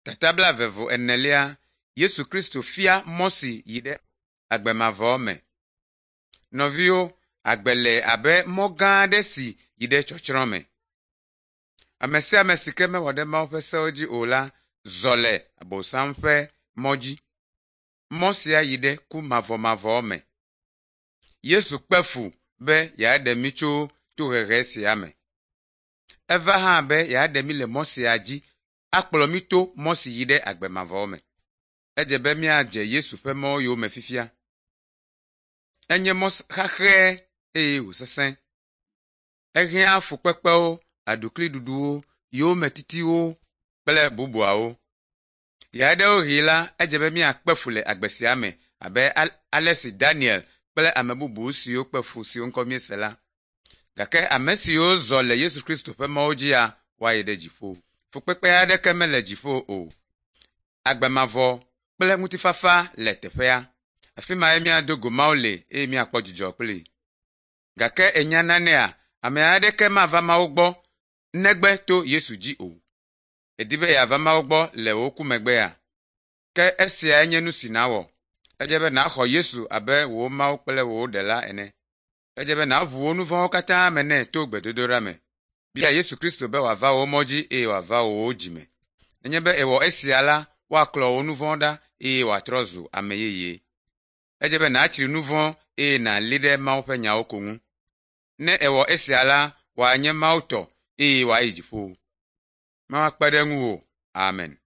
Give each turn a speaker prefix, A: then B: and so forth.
A: Tata blaeve-vɔ-enelia, Yesu Kristo fia mɔ si yi ɖe agbe mavɔ me. Nɔviwo, agbe le abe mɔ gã aɖe si yi ɖe tsɔtsrɔ̃ me. Ame sia ame si ke mewɔ ɖe Mawu ƒe sewo dzi o la zɔ le Abosam ƒe mɔ dzi. Mɔ sia yi ɖe ku mavɔmavɔ me. Yesu kpe fu be yeaɖe mí tso tohehe sia me. Eva hã be yeaɖe mí le mɔ sia dzi akplɔ mí to mɔ si yi ɖe agbe mavɔ me. Edze be míadze Yesu ƒe mɔ yome fifia. Enye mɔ xaxɛ eye wòsesẽ. Ehiã fukpekpewo, aɖukliɖuɖuwo, yometitiwo kple bubuawo. Ɣeaɖewoɣi la, edze be míakpe fu le agbe sia me abe ale si Daniel kple ame bubu siwo kpe fu siwo ŋkɔ míese la. Gake ame siwo zɔ le Yesu Kristo ƒe mɔwo dzia, woayi ɖe dziƒo. Fukpekpe aɖeke mele dziƒo o. Agbe mavɔ kple ŋutifafa le teƒea. Afi mae míado go Mawu le eye míakpɔ dzidzɔ kplii. Gake ènya nanea? Ame aɖeke mava Mawu gbɔ negbe to Yesu dzi o. Èdi be yeava Mawu gbɔ le wò ku megbea? Ke esiae nye nu si nàwɔ. Edze be nàxɔ Yesu abe wò Mawu kple wò Ɖela ene. Edze be nàʋu wò nu vɔ̃wo katã me nɛ to gbedodoɖa me. Bia Yesu Kristo be wòava wò mɔ dzi eye wòava wò dzi me. Nenye be èwɔ esia la, woaklɔ wò nu vɔ̃ ɖa eye wòatrɔ zu ame yeye. Edze be nàtsri nu vɔ̃ eye nàli ɖe Mawu ƒe nyawo ko ŋu. Ne èwɔ esia la, wòanye Mawu tɔ eye wòayi dziƒo. Mawu akpe ɖe ŋuwò. Amen.